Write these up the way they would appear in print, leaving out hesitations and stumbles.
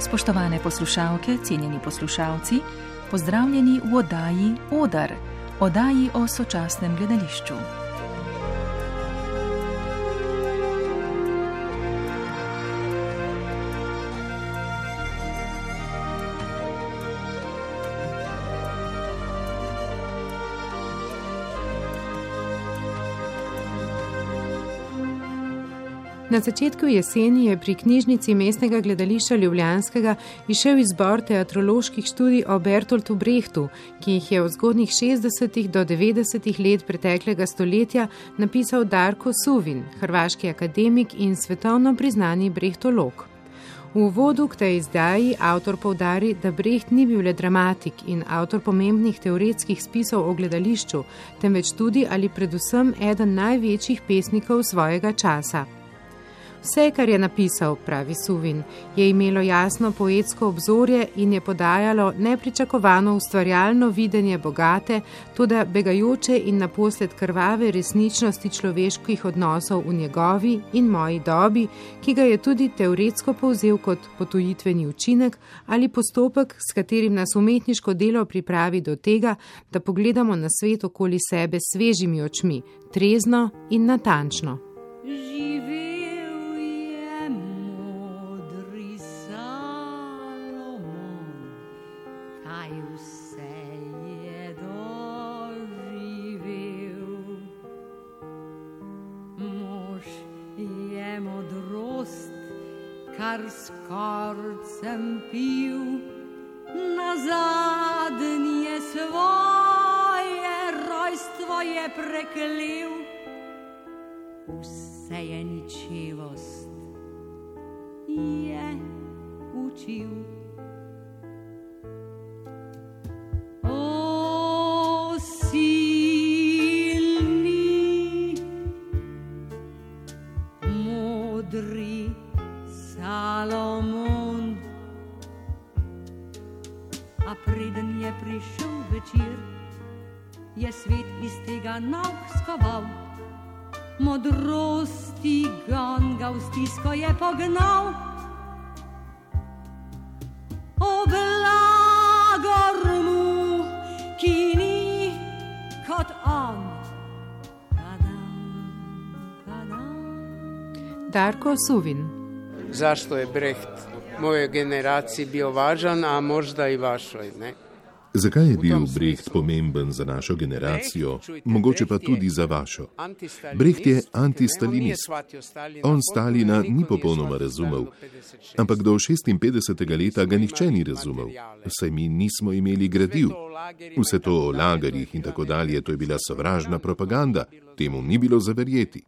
Spoštovane poslušalke, cenjeni poslušalci, pozdravljeni v oddaji Odar, oddaji o sočasnem gledališču. Na začetku jeseni je pri knjižnici Mestnega gledališča Ljubljanskega izšel izbor teatroloških študij o Bertoltu Brechtu, ki jih je od zgodnjih 60. do 90. let preteklega stoletja napisal Darko Suvin, hrvaški akademik in svetovno priznani brehtolog. V uvodu k tej izdaji avtor poudari, da Brecht ni bil le dramatik in avtor pomembnih teoretskih spisov o gledališču, temveč tudi ali predvsem eden največjih pesnikov svojega časa. Vse, kar je napisal, pravi Suvin, je imelo jasno poetsko obzorje in je podajalo nepričakovano ustvarjalno videnje bogate, toda begajoče in naposled krvave resničnosti človeških odnosov v njegovi in moji dobi, ki ga je tudi teoretsko povzel kot potujitveni učinek ali postopek, s katerim nas umetniško delo pripravi do tega, da pogledamo na svet okoli sebe s svežimi očmi, trezno in natančno. Kar skorcem pil, nazadnje svoje rojstvo je preklel. Vse je ničevost je učil. O silni, modri Salomon, a preden je prišel večer, je svet iz tega nauk skoval. Modrosti gon ga v stisko je pognal. O blagor mu, ki ni kot on. Darko Suvin. Zašto je Brecht mojoj generaciji bio važan, a možda i vašoj, ne? Zakaj je bil Brecht pomemben za našo generacijo, mogoče pa tudi za vašo? Brecht je antistalinist. On Stalina ni popolnoma razumel, ampak do 56. leta ga nihče ni razumel, saj mi nismo imeli gradiv. Vse to o lagerjih in tako dalje, to je bila sovražna propaganda, temu ni bilo zaverjeti.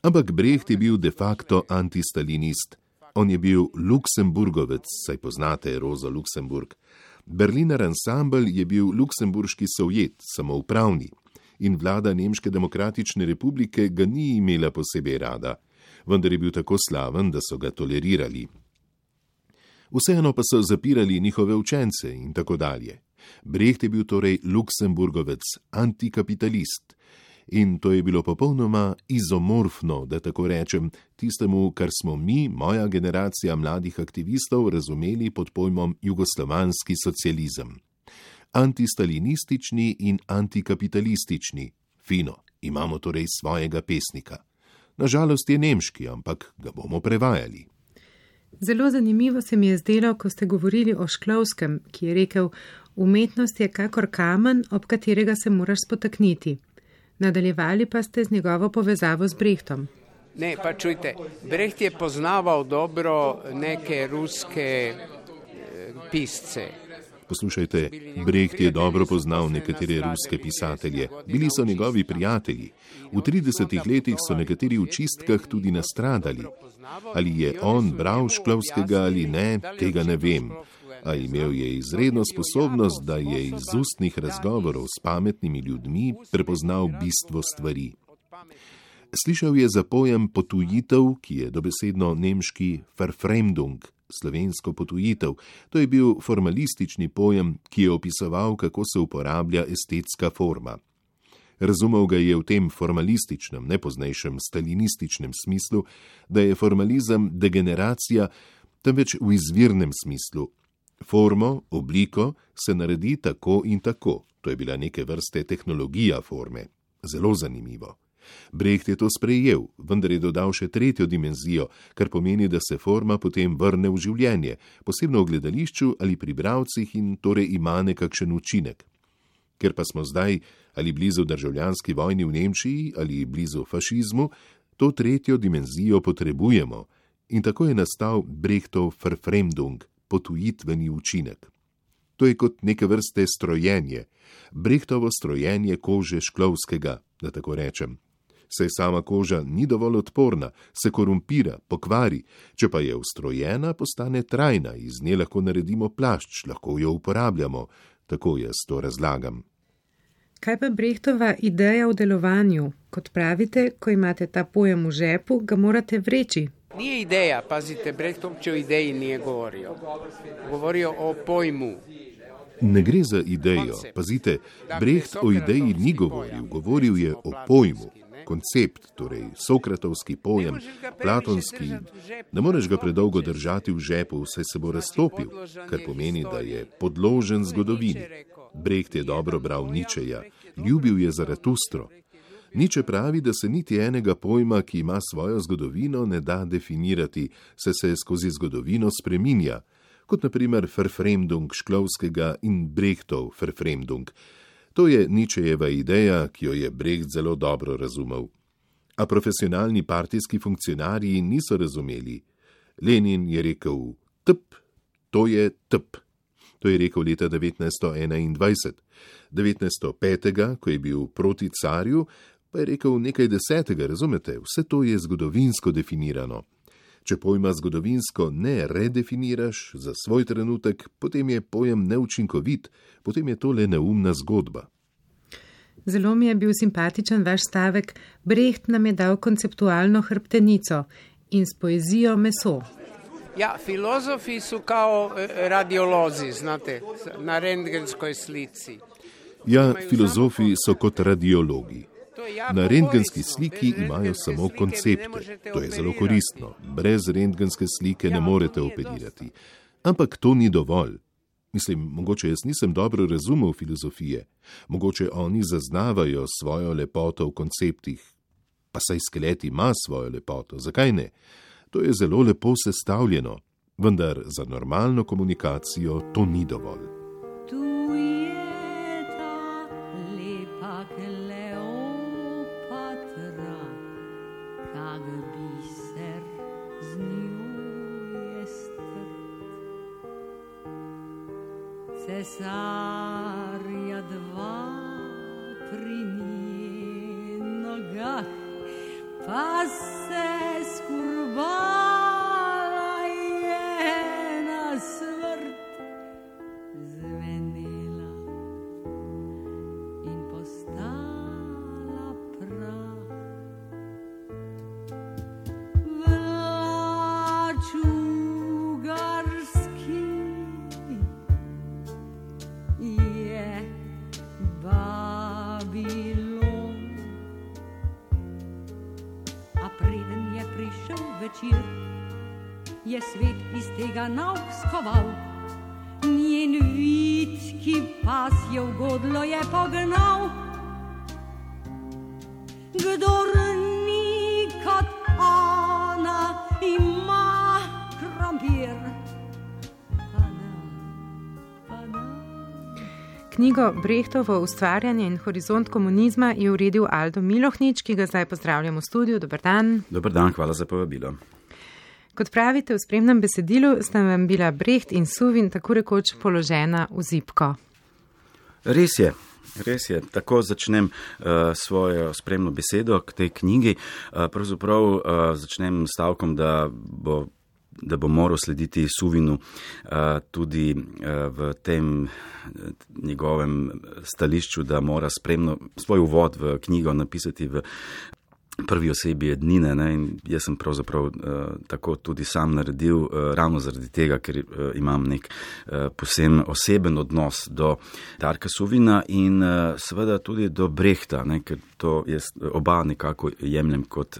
Ampak Brecht je bil de facto antistalinist. On je bil Luksemburgovec, saj poznate Rozo Luksemburg. Berliner ansambl je bil luksemburški sovjet, samoupravni, in vlada Nemške demokratične republike ga ni imela posebej rada, vendar je bil tako slaven, da so ga tolerirali. Vseeno pa so zapirali njihove učence in tako dalje. Brecht je bil torej Luksemburgovec, antikapitalist. In to je bilo popolnoma izomorfno, da tako rečem, tistemu, kar smo mi, moja generacija mladih aktivistov, razumeli pod pojmom jugoslovanski socializem. Antistalinistični in antikapitalistični. Fino, imamo torej svojega pesnika. Nažalost je nemški, ampak ga bomo prevajali. Zelo zanimivo se mi je zdelo, ko ste govorili o Šklovskem, ki je rekel, umetnost je kakor kamen, ob katerega se moraš spotakniti. Nadaljevali pa ste z njegovo povezavo z Brechtom. Ne, pa čujte, Brecht je poznaval dobro neke ruske pisce. Poslušajte, Brecht je dobro poznal nekatere ruske pisatelje. Bili so njegovi prijatelji. V 30 letih so nekateri v čistkah tudi nastradali. Ali je on bral Šklovskega ali ne, tega ne vem. A imel je izredno sposobnost, da je iz ustnih razgovorov s pametnimi ljudmi prepoznal bistvo stvari. Slišal je za pojem potujitev, ki je dobesedno nemški Verfremdung, slovensko potujitev. To je bil formalistični pojem, ki je opisoval, kako se uporablja estetska forma. Razumel ga je v tem formalističnem, nepoznejšem stalinističnem smislu, da je formalizem degeneracija, temveč v izvirnem smislu. Formo, obliko se naredi tako in tako. To je bila neke vrste tehnologija forme. Zelo zanimivo. Brecht je to sprejel, vendar je dodal še tretjo dimenzijo, kar pomeni, da se forma potem vrne v življenje, posebno v gledališču ali pri bralcih in torej ima nekakšen učinek. Ker pa smo zdaj ali blizu državljanski vojni v Nemčiji ali blizu fašizmu, to tretjo dimenzijo potrebujemo in tako je nastal Brechtov Verfremdung, potujitveni učinek. To je kot neke vrste strojenje, Brechtovo strojenje kože Šklovskega, da tako rečem. Saj sama koža ni dovolj odporna, se korumpira, pokvari, če pa je ustrojena, postane trajna, iz nje lahko naredimo plašč, lahko jo uporabljamo, tako jaz to razlagam. Kaj pa Brechtova ideja v delovanju? Kot pravite, ko imate ta pojem v žepu, ga morate vreči. Nije ideja, pazite, Brecht uopće o ideji nije govorio. Govorio o pojmu. Ne gre za idejo, pazite, Brecht o ideji ni govoril, govoril je o pojmu. Koncept, torej sokratovski pojem, platonski, ne moreš ga predolgo držati v žepu, saj se bo raztopil, kar pomeni, da je podložen zgodovini. Brecht je dobro bral Ničeja, ljubil je Zaratustro. Niče pravi, da se niti enega pojma, ki ima svojo zgodovino, ne da definirati, saj se skozi zgodovino spreminja, kot naprimer Verfremdung Šklovskega in Brechtov Verfremdung. To je Ničejeva ideja, ki jo je Brecht zelo dobro razumel. A profesionalni partijski funkcionarji niso razumeli. Lenin je rekel tp, to je tp. To je rekel leta 1921. 1905, ko je bil proti carju, pa je rekel nekaj desetega, razumete? Vse to je zgodovinsko definirano. Če pojma zgodovinsko ne redefiniraš za svoj trenutek, potem je pojem neučinkovit, potem je to le neumna zgodba. Zelo mi je bil simpatičen vaš stavek, Brecht nam je dal konceptualno hrbtenico in s poezijo meso. Ja, filozofi su kao radiolozi, znate, na rentgenskoj slici. Ja, filozofi so kot radiologi. Na rentgenski sliki imajo samo koncepte. To je zelo koristno. Brez rentgenske slike ne morete operirati. Ampak to ni dovolj. Mislim, mogoče jaz nisem dobro razumel filozofije. Mogoče oni zaznavajo svojo lepoto v konceptih. Pa saj skelet ima svojo lepoto. Zakaj ne? To je zelo lepo sestavljeno. Vendar za normalno komunikacijo to ni dovolj. Cesarja dva pri nogah, pa se skurbala je na smrt zvenela in postala prah. Vlačugarski je Babilon. A preden je prišel večer, je svet iz tega nauk skoval. Njen vitki pas je v godlo je pognal. Kdor ni kot ona, ima krompir. Knjigo Brechtovo ustvarjanje in horizont komunizma je uredil Aldo Milohnič, ki ga zdaj pozdravljam v studiu. Dobar dan. Dobar dan, hvala za povabilo. Kot pravite v spremnem besedilu, sta vam bila Brecht in Suvin tako rekoč položena v zibko. Res je. Tako začnem svojo spremno besedo k tej knjigi. Pravzaprav začnem stavkom, da bo moral slediti Suvinu tudi v tem njegovem stališču, da mora spremno svoj uvod v knjigo napisati v prvi osebi ednine. Ne? In jaz sem pravzaprav tako tudi sam naredil, ravno zaradi tega, ker imam nek poseben oseben odnos do Darka Suvina in seveda tudi do Brechta, ne? Ker to jaz oba nekako jemljem kot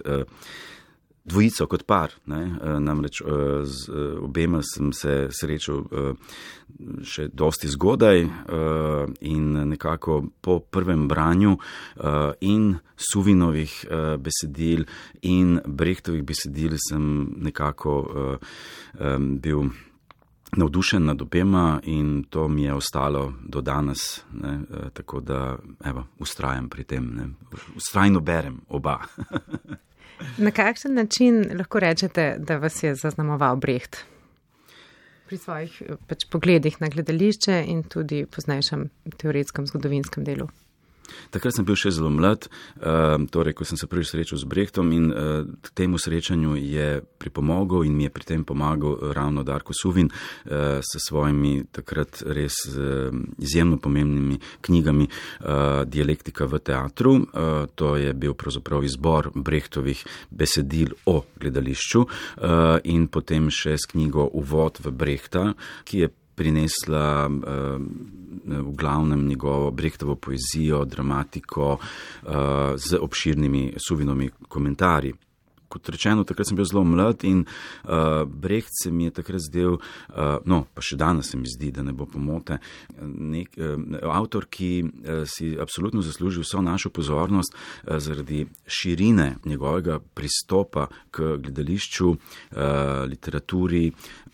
dvojico kot par, ne? Namreč z obema sem se srečal še dosti zgodaj in nekako po prvem branju in Suvinovih besedil in Brechtovih besedil sem nekako bil navdušen nad obema in to mi je ostalo do danes, ne? Tako da ustrajam pri tem, ne? Ustrajno berem oba. Na kakšen način lahko rečete, da vas je zaznamoval Brecht? Pri svojih pogledih na gledališče in tudi poznejšem teoretskem zgodovinskem delu. Takrat sem bil še zelo mlad, torej, ko sem se prvič srečal z Brechtom in k temu srečanju je pripomogel in mi je pri tem pomagal ravno Darko Suvin s svojimi takrat res izjemno pomembnimi knjigami Dialektika v teatru. To je bil pravzaprav izbor Brechtovih besedil o gledališču in potem še s knjigo Uvod v Brechta, ki je prinesla v glavnem njegovo Brechtovo poezijo, dramatiko z obširnimi Suvinovimi komentarji. Kot rečeno, takrat sem bil zelo mlad in Brecht se mi je takrat zdel, pa še danes se mi zdi, da ne bo pomote, avtor, ki si absolutno zasluži vso našo pozornost zaradi širine njegovega pristopa k gledališču, literaturi,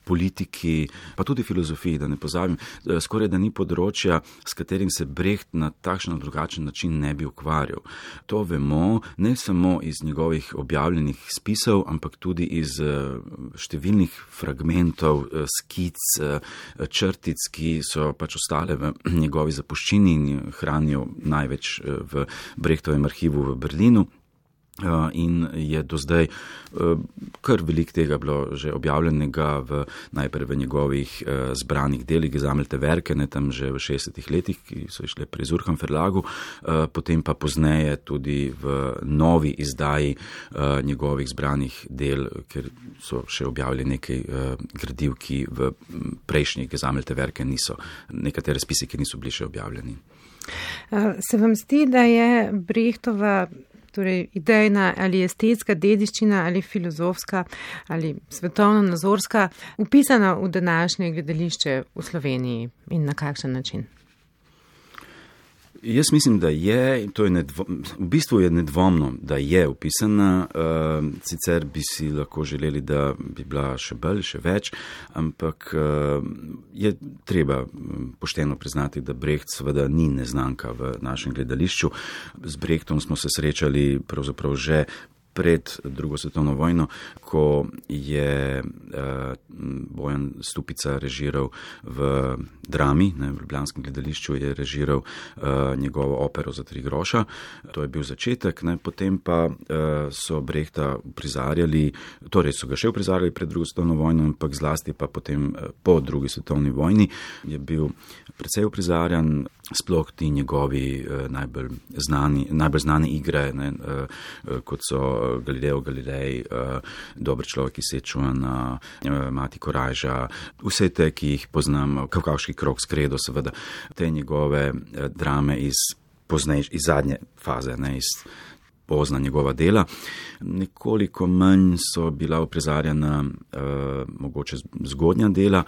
politiki, pa tudi filozofiji, da ne pozabim, skoraj da ni področja, s katerim se Brecht na takšen ali drugačen način ne bi ukvarjal. To vemo ne samo iz njegovih objavljenih spisov, ampak tudi iz številnih fragmentov, skic, črtic, ki so pač ostale v njegovi zapuščini in hranijo največ v Brechtovem arhivu v Berlinu. In je do zdaj kar veliko tega bilo že objavljenega najprej v njegovih zbranih delih, Gesammelte Werke, ne, tam že v 60 letih, ki so išle pri Zurcham Verlagu, potem pa pozneje tudi v novi izdaji njegovih zbranih del, ker so še objavili nekaj gradiv, ki v prejšnjih Gesammelte Werke niso, nekatere spisi, ki niso bili še objavljeni. Se vam zdi, da je Brechtova torej idejna ali estetska dediščina ali filozofska ali svetovno-nazorska upisana v današnje gledališče v Sloveniji in na kakšen način? Jaz mislim, da je, to je v bistvu je nedvomno, da je upisana, sicer bi si lahko želeli, da bi bila še bolj, še več, ampak je treba pošteno priznati, da Brecht seveda ni neznanka v našem gledališču. Z Brechtom smo se srečali pravzaprav že pred drugo svetovno vojno, ko je Bojan Stupica režiral v Drami, ne, v ljubljanskem gledališču je režiral njegovo opero za 3 groša. To je bil začetek, ne, potem pa so Brechta uprizarjali, torej so ga še uprizarjali pred drugo svetovno vojno, ampak zlasti pa potem po drugi svetovni vojni je bil precej uprizarjan, sploh ti njegovi najbolj znane igre, ne, kot so Galileo Galilei, Dober človek iz Sečuana, Mati Korajža, vse te, ki jih poznam, Kavkavški krog s Kredo, seveda, te njegove drame iz zadnje faze, ne, iz pozna njegova dela. Nekoliko manj so bila uprizarjena mogoče zgodnja dela,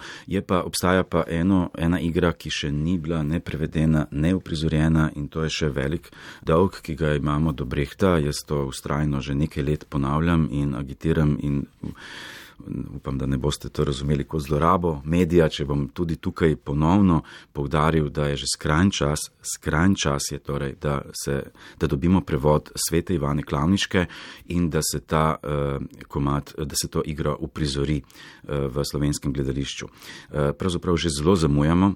obstaja pa ena igra, ki še ni bila ne prevedena, ne uprizorjena in to je še velik dolg, ki ga imamo do Brechta. Jaz to vztrajno že nekaj let ponavljam in agitiram in upam, da ne boste to razumeli kot zlorabo medija, če bom tudi tukaj ponovno poudaril, da je že skrajn čas je torej, da dobimo prevod Svete Ivane Klavniške in da se da se to igra uprizori v slovenskem gledališču. Pravzaprav že zelo zamujamo,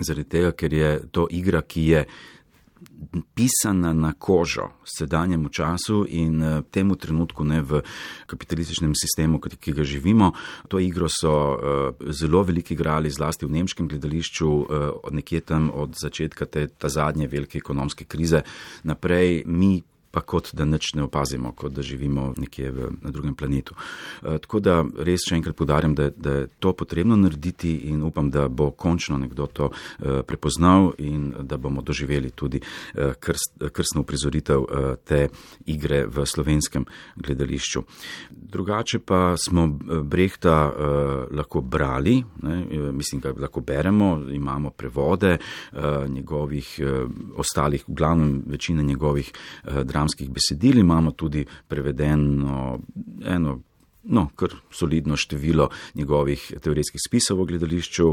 zaradi tega, ker je to igra, ki je pisana na kožo sedanjemu času in temu trenutku, ne, v kapitalističnem sistemu, ki ga živimo. To igro so zelo veliki igrali, zlasti v nemškem gledališču, nekje tam od začetka ta zadnje velike ekonomske krize naprej. Mi pa kot da nič ne opazimo, kot da živimo nekje na drugem planetu. Tako da res še enkrat poudarjam, da je to potrebno narediti in upam, da bo končno nekdo to prepoznal in da bomo doživeli tudi krstno uprizoritev te igre v slovenskem gledališču. Drugače pa smo Brehta lahko brali, mislim, da lahko beremo, imamo prevode njegovih ostalih, v glavnem večine njegovih dramskih besedil, imamo tudi prevedeno kar solidno število njegovih teoretskih spisov o gledališču,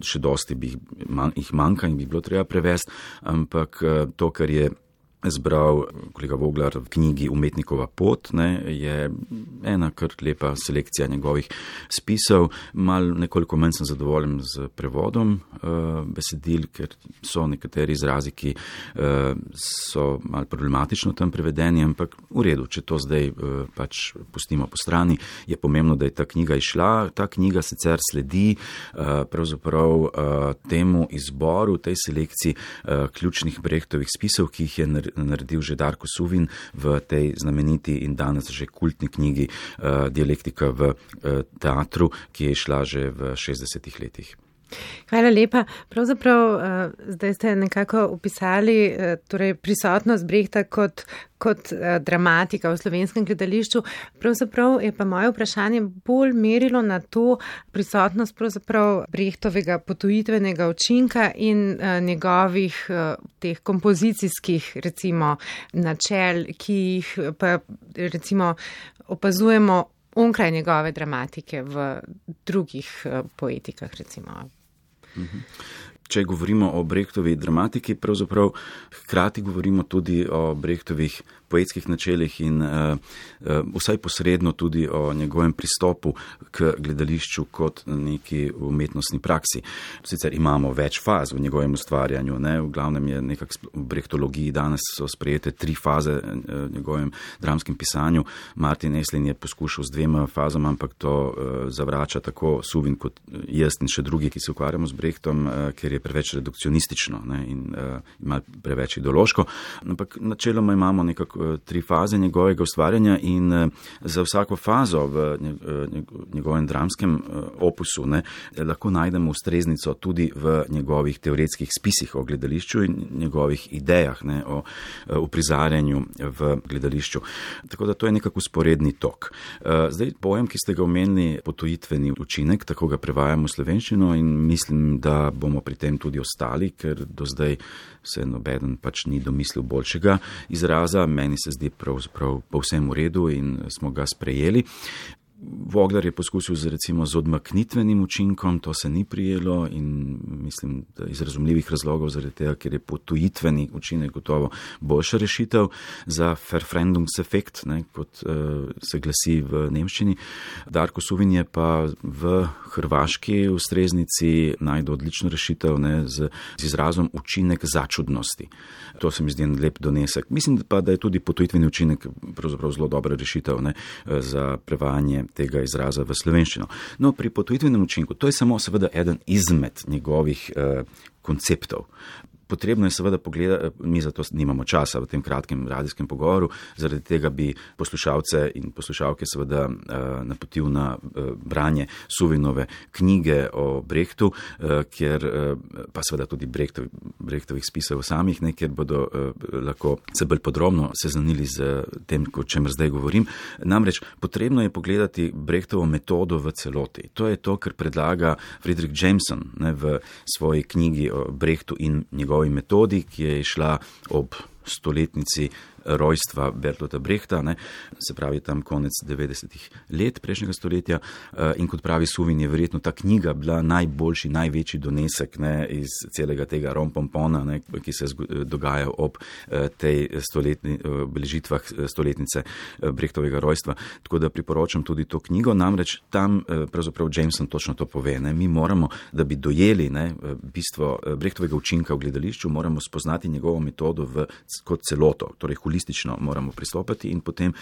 še dosti jih manjka in bi bilo treba prevesti, ampak to, kar je zbral kolega Voglar v knjigi Umetnikova pot, je ena kar lepa selekcija njegovih spisov. Nekoliko manj sem zadovoljen z prevodom besedil, ker so nekateri izrazi, ki so malo problematično tam prevedeni, ampak v redu, če to zdaj pač pustimo po strani, je pomembno, da je ta knjiga izšla. Ta knjiga sicer sledi pravzaprav temu izboru, tej selekciji ključnih Brechtovih spisov, ki jih je naredil že Darko Suvin v tej znameniti in danes že kultni knjigi Dialektika v teatru, ki je šla že v 60 letih. Hvala lepa. Pravzaprav zdaj ste nekako opisali prisotnost Brehta kot dramatika v slovenskem gledališču. Pravzaprav je pa moje vprašanje bolj merilo na to prisotnost pravzaprav Brehtovega potujitvenega učinka in njegovih teh kompozicijskih recimo načel, ki jih pa recimo opazujemo onkraj njegove dramatike v drugih poetikah recimo. Če govorimo o Brechtovi dramatiki, pravzaprav hkrati govorimo tudi o Brechtovih poetskih načelih in vsaj posredno tudi o njegovem pristopu k gledališču kot neki umetnostni praksi. Sicer imamo več faz v njegovem ustvarjanju, v glavnem je nekako v brechtologiji danes so sprejete 3 faze v njegovem dramskem pisanju. Martin Eslin je poskušal z 2 fazama, ampak to zavrača tako Suvin kot jaz in še drugi, ki se ukvarjamo z Brechtom, ker je preveč redukcionistično in ima preveč ideološko. Ampak načeloma imamo nekako 3 faze njegovega ustvarjanja in za vsako fazo v njegovem dramskem opusu lahko najdemo ustreznico tudi v njegovih teoretskih spisih o gledališču in njegovih idejah o uprizarjanju v gledališču. Tako da to je nekako usporedni tok. Zdaj, pojem, ki ste ga omenili, potujitveni učinek, tako ga prevajamo v slovenščino in mislim, da bomo pri tem tudi ostali, ker do zdaj se nobeden pač ni domislil boljšega izraza. Meni se zdi pravzaprav povsem v redu in smo ga sprejeli. Voglar je poskusil z odmaknitvenim učinkom, to se ni prijelo in mislim, da iz razumljivih razlogov zaradi tega, ker je potujitveni učinek gotovo boljša rešitev za Verfremdungseffekt, kot se glasi v nemščini. Darko Suvin je pa v hrvaški ustreznici najdel odlično rešitev z izrazom učinek začudnosti. To se mi zdi en lep donesek. Mislim pa, da je tudi potujitveni učinek pravzaprav zelo dobra rešitev za prevajanje tega izraza v slovenščino. No, pri potujitvenem učinku, to je samo seveda eden izmed njegovih konceptov. Potrebno je seveda pogledati, mi zato nimamo časa v tem kratkem radijskem pogovoru, zaradi tega bi poslušalce in poslušalke seveda napotil na branje Suvinove knjige o Brechtu, kjer pa seveda tudi Brechtovih spisov samih, kjer bodo lahko se bolj podrobno seznanili z tem, o čemer zdaj govorim. Namreč potrebno je pogledati Brechtovo metodo v celoti. To je to, kar predlaga Friedrich Jameson v svoji knjigi o Brechtu in njegovi metodi, ki je šla ob stoletnici rojstva Bertolta Brechta, se pravi tam konec 90-ih let prejšnjega stoletja, in kot pravi Suvin, je verjetno ta knjiga bila najboljši, največji donesek iz celega tega rompompona, ki se dogaja ob tej obeležitvah stoletnice Brechtovega rojstva. Tako da priporočam tudi to knjigo, namreč tam pravzaprav Jameson točno to pove. Mi moramo, da bi dojeli bistvo Brechtovega učinka v gledališču, moramo spoznati njegovo metodo kot celoto, torej holistično holistično moramo pristopiti in potem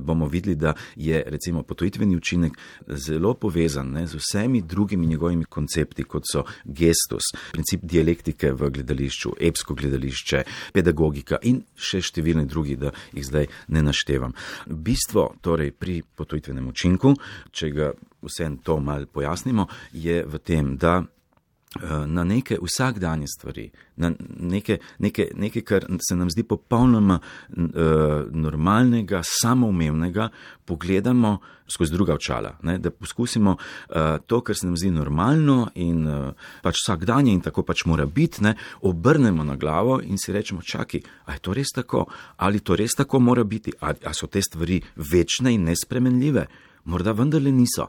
bomo videli, da je recimo potojitveni učinek zelo povezan, ne, z vsemi drugimi njegovimi koncepti, kot so gestus, princip dialektike v gledališču, epsko gledališče, pedagogika in še številni drugi, da jih zdaj ne naštevam. Bistvo torej pri potojitvenem učinku, če ga vsem to malo pojasnimo, je v tem, da na neke vsakdanje stvari, na nekaj, kar se nam zdi popolnoma normalnega, samoumevnega, pogledamo skozi druga očala, ne? Da poskusimo to, kar se nam zdi normalno in pač vsakdanje in tako pač mora biti, ne? Obrnemo na glavo in si rečemo, čakaj, a je to res tako? Ali to res tako mora biti? A so te stvari večne in nespremenljive? Morda vendarle niso.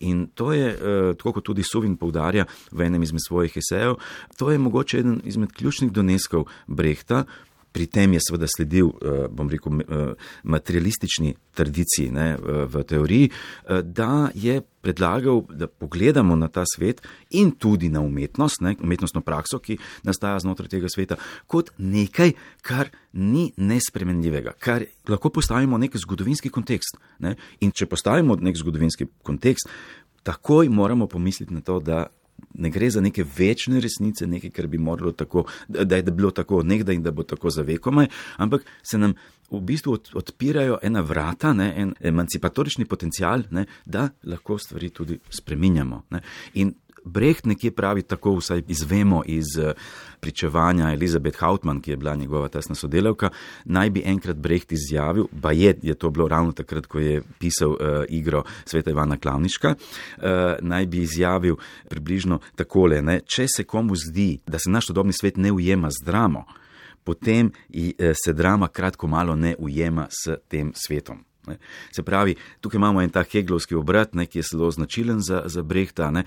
In to je, tako kot tudi Suvin poudarja v enem izmed svojih esejev, to je mogoče eden izmed ključnih doneskov Brehta. Pri tem je seveda sledil, bom rekel, materialistični tradiciji, ne, v teoriji, da je predlagal, da pogledamo na ta svet in tudi na umetnost, ne, umetnostno prakso, ki nastaja znotraj tega sveta, kot nekaj, kar ni nespremenljivega, kar lahko postavimo nek zgodovinski kontekst. Ne. In če postavimo nek zgodovinski kontekst, takoj moramo pomisliti na to, da ne gre za neke večne resnice, nekaj, kar bi moralo tako, da je bilo tako nekdaj in da bo tako za vekomaj, ampak se nam v bistvu odpirajo ena vrata, ne, en emancipatorični potencial, ne, da lahko stvari tudi spreminjamo. Ne. In Brecht nekje pravi, tako vsaj izvemo iz pričevanja Elizabeth Hauptmann, ki je bila njegova tesna sodelavka, naj bi enkrat Brecht izjavil, je to bilo ravno takrat, ko je pisal igro Sveta Ivana Klavniška, naj bi izjavil približno takole, ne, če se komu zdi, da se naš sodobni svet ne ujema z dramo, potem se drama kratko malo ne ujema s tem svetom. Se pravi, tukaj imamo en ta Hegelovski obrat, ne, ki je zelo značilen za Brehta. Ne.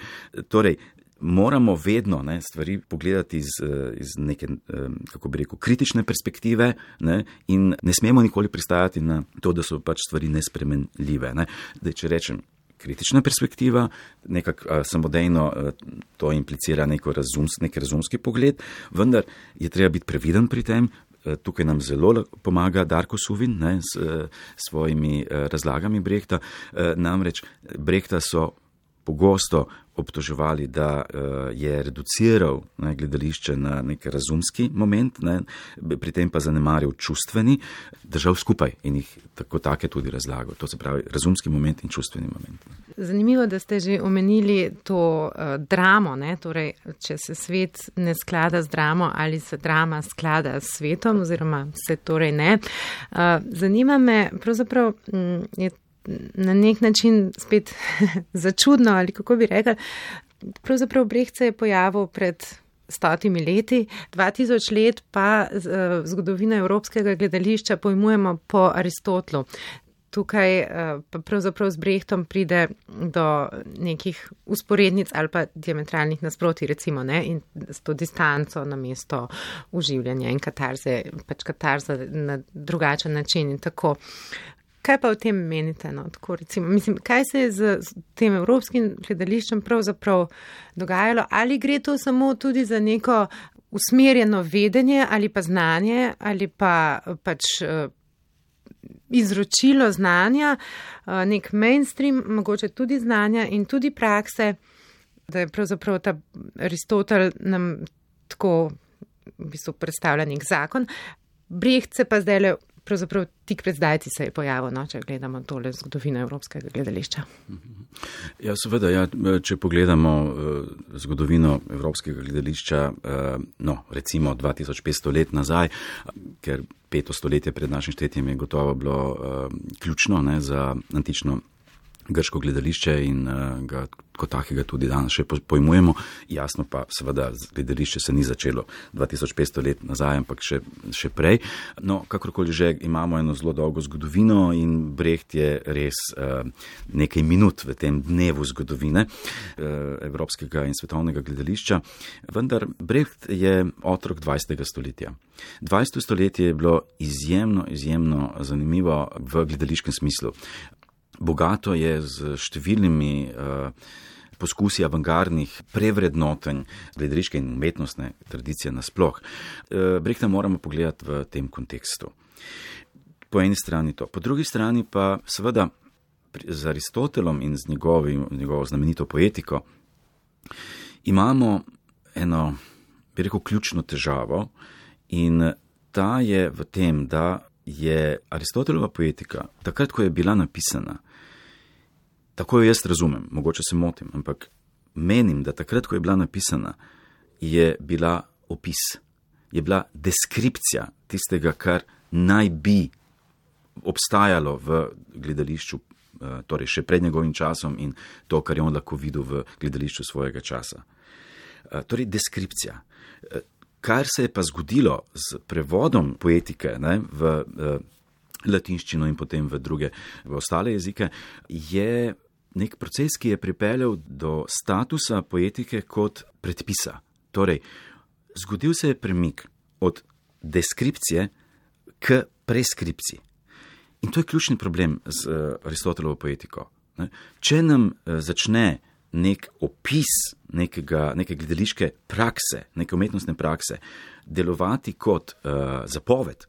Torej, moramo vedno, ne, stvari pogledati iz neke, kako bi rekel, kritične perspektive, ne, in ne smemo nikoli pristajati na to, da so pač stvari nespremenljive. Ne. Če rečem kritična perspektiva, nekako samodejno to implicira nek razumski pogled, vendar je treba biti previden pri tem. Tukaj nam zelo pomaga Darko Suvin, ne, s svojimi razlagami Brehta. Namreč Brehta so pogosto obtoževali, da je reduciral, ne, gledališče na nek razumski moment, ne, pri tem pa zanemaril čustveni, držal skupaj in jih take tudi razlagal. To se pravi razumski moment in čustveni moment. Zanimivo, da ste že omenili to dramo, ne? Torej, če se svet ne sklada z dramo ali se drama sklada s svetom oziroma se torej ne. Zanima me, pravzaprav je na nek način spet začudno, ali kako bi rekel, pravzaprav Brecht se je pojavil pred 100 leti, 2000 let pa zgodovina evropskega gledališča pojmujemo po Aristotelu. Tukaj pa pravzaprav z Brechtom pride do nekih usporednic ali pa diametralnih nasprotij, recimo, ne, in s to distanco na mesto uživljanja in katarze, pač katarza na drugačen način in tako. Kaj pa o tem menite? No? Tako, recimo, mislim, kaj se je z tem evropskim gledališčem pravzaprav dogajalo? Ali gre to samo tudi za neko usmerjeno vedenje ali pa znanje ali pa pač izročilo znanja, nek mainstream, mogoče tudi znanja in tudi prakse, da je pravzaprav ta Aristotel nam tako v bistvu predstavlja nek zakon. Brecht se pa zdaj pravzaprav tik pred zdajci se je pojavil, no, če gledamo tole zgodovino evropskega gledališča. Ja, seveda, če pogledamo zgodovino evropskega gledališča, recimo 2500 let nazaj, ker 5. stoletje pred našim štetjem je gotovo bilo ključno, ne, za antično grško gledališče in ga kot takega tudi danes še pojmujemo. Jasno pa seveda gledališče se ni začelo 2500 let nazaj, ampak še prej. No, kakorkoli že imamo eno zelo dolgo zgodovino in Brecht je res nekaj minut v tem dnevu zgodovine evropskega in svetovnega gledališča. Vendar Brecht je otrok 20. stoletja. 20. stoletje je bilo izjemno zanimivo v gledališkem smislu. Bogato je z številnimi poskusi avangardnih prevrednotenj gledališke in umetnostne tradicije nasploh. Brehta moramo pogledati v tem kontekstu. Po eni strani to. Po drugi strani pa seveda z Aristotelom in z njegovo znamenito poetiko imamo eno, bi rekel, ključno težavo in ta je v tem, da je Aristotelova poetika, takrat, ko je bila napisana, tako jo jaz razumem, mogoče se motim, ampak menim, da takrat, ko je bila napisana, je bila opis, je bila deskripcija tistega, kar naj bi obstajalo v gledališču, torej še pred njegovim časom in to, kar je on lahko videl v gledališču svojega časa. Torej, deskripcija. Kar se je pa zgodilo z prevodom poetike, ne, v latinščino in potem v ostale jezike, je nek proces, ki je pripeljal do statusa poetike kot predpisa. Torej, zgodil se je premik od deskripcije k preskripciji. In to je ključni problem z Aristotelovo poetiko. Če nam začne nek opis neke gledališke prakse, neke umetnostne prakse delovati kot zapoved,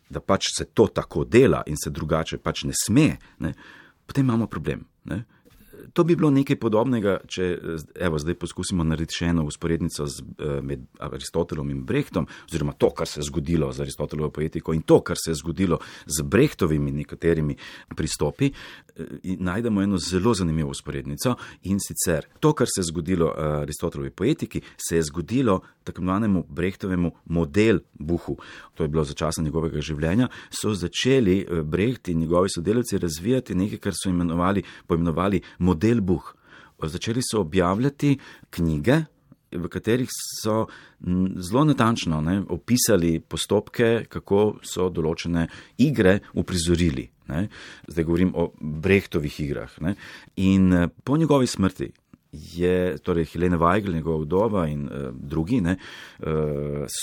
da pač se to tako dela in se drugače pač ne sme, ne, potem imamo problem. Ne. To bi bilo nekaj podobnega, če zdaj poskusimo narediti še eno usporednico med Aristotelom in Brechtom, oziroma to, kar se je zgodilo z Aristotelovo poetiko in to, kar se je zgodilo z Brechtovimi nekaterimi pristopi, najdemo eno zelo zanimivo usporednico in sicer to, kar se je zgodilo Aristotelovi poetiki, se je zgodilo tako imenovanemu Brechtovemu modelbuhu. To je bilo za časa njegovega življenja, so začeli Brecht in njegovi sodelavci razvijati nekaj, kar so poimenovali modelbuh. Začeli so objavljati knjige, v katerih so zelo natančno opisali postopke, kako so določene igre uprizorili. Zdaj govorim o Brechtovih igrah. In po njegovi smrti je, torej Helene Weigl, njegova vdova in drugi,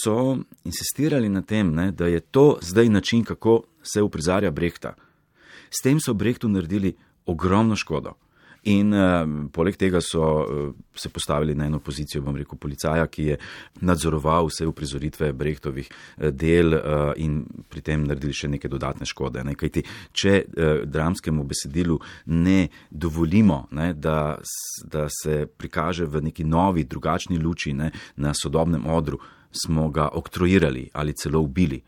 so insistirali na tem, da je to zdaj način, kako se uprizarja Brechta. S tem so Brechtu naredili ogromno škodo. In poleg tega so se postavili na eno pozicijo, bom rekel, policaja, ki je nadzoroval vse uprizoritve Brechtovih del in pri tem naredili še neke dodatne škode. Kajti, če dramskemu besedilu ne dovolimo, da se prikaže v neki novi, drugačni luči na sodobnem odru, smo ga oktroirali ali celo ubili.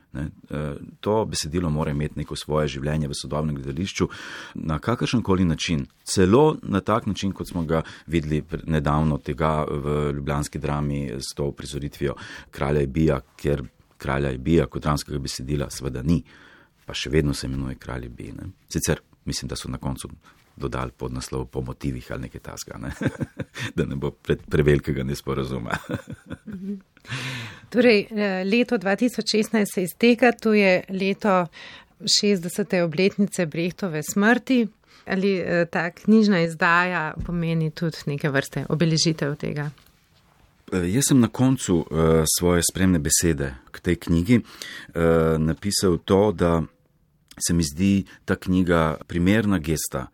To besedilo mora imeti neko svoje življenje v sodobnem gledališču na kakršenkoli način. Celo na tak način, kot smo ga videli nedavno tega v ljubljanski drami s to uprizoritvijo Kralja Ebija, ker Kralja Ebija kot dramskega besedila seveda ni, pa še vedno se imenuje Kralj Ebij. Sicer mislim, da so na koncu dodali pod naslov po motivih ali nekaj tasga, da ne bo prevelikega nesporazuma. Torej, leto 2016 se izteka, to je leto 60. obletnice Brechtove smrti. Ali ta knjižna izdaja pomeni tudi neke vrste obeležitev tega? Jaz sem na koncu svoje spremne besede k tej knjigi napisal to, da se mi zdi ta knjiga primerna gesta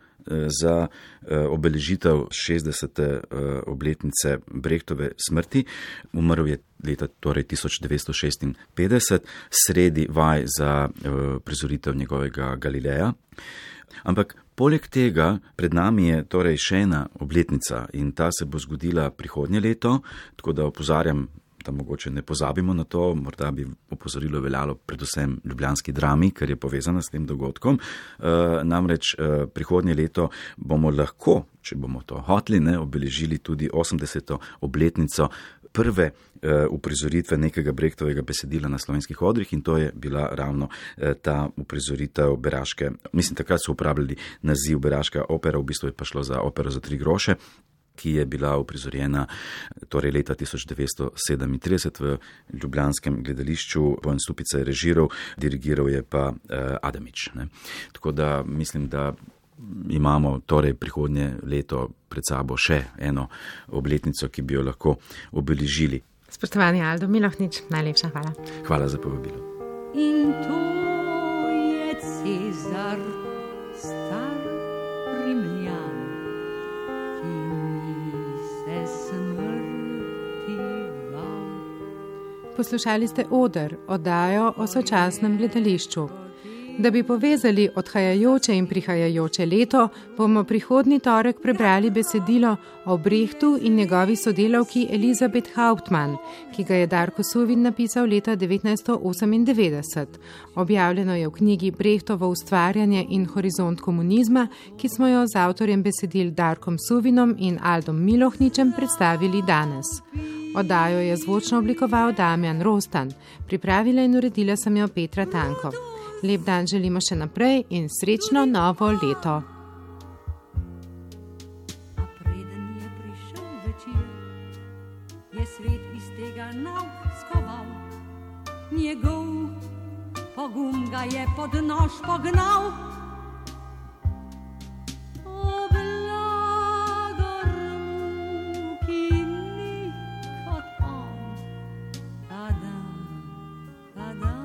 za obeležitev 60. obletnice Brechtove smrti. Umrl je leta 1956, sredi vaj za prizoritev njegovega Galileja. Ampak poleg tega pred nami je torej še ena obletnica in ta se bo zgodila prihodnje leto, tako da opozarjam, da mogoče ne pozabimo na to, morda bi opozorilo veljalo predvsem ljubljanski drami, ker je povezana s tem dogodkom. Namreč prihodnje leto bomo lahko, če bomo to hoteli, obeležili tudi 80. obletnico prve uprizoritve nekega Brechtovega besedila na slovenskih odrih in to je bila ravno ta uprizoritev Beraške. Mislim, takrat so uporabljali naziv Beraška opera, v bistvu je pa šlo za opero za 3 groše, ki je bila uprizorjena torej leta 1937 v ljubljanskem gledališču. Bojan Stupica je režiral, dirigiral je pa Adamič. Tako da mislim, da imamo torej prihodnje leto pred sabo še eno obletnico, ki bi jo lahko obeležili. Spoštovani Aldo Milohnič, najlepša hvala. Hvala za povabilo. In to je Cezar, star Rimljan, ki ni Poslušali ste Oder, oddajo o sočasnem gledališču. Da bi povezali odhajajoče in prihajajoče leto, bomo prihodnji torek prebrali besedilo o Brechtu in njegovi sodelavki Elizabeth Hauptmann, ki ga je Darko Suvin napisal leta 1998. Objavljeno je v knjigi Brechtovo ustvarjanje in horizont komunizma, ki smo jo z avtorjem besedil Darkom Suvinom in Aldom Milohničem predstavili danes. Oddajo je zvočno oblikoval Damjan Rostan, pripravila in uredila sem jo Petra Tanko. Lep dan želimo še naprej in srečno novo leto. A preden je prišel večer, je svet iz tega nauk skoval. Njegov pogum ga je pod nož pognal. O blagor mu, ki ni kot on, padam, padam.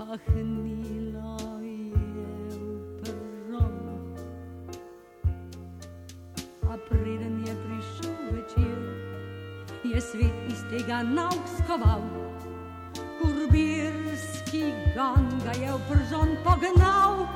Pahnilo je v peron, a preden je prišel večer, je svet iz tega nauk skoval. Kurbirski gon ga je v peron pognal.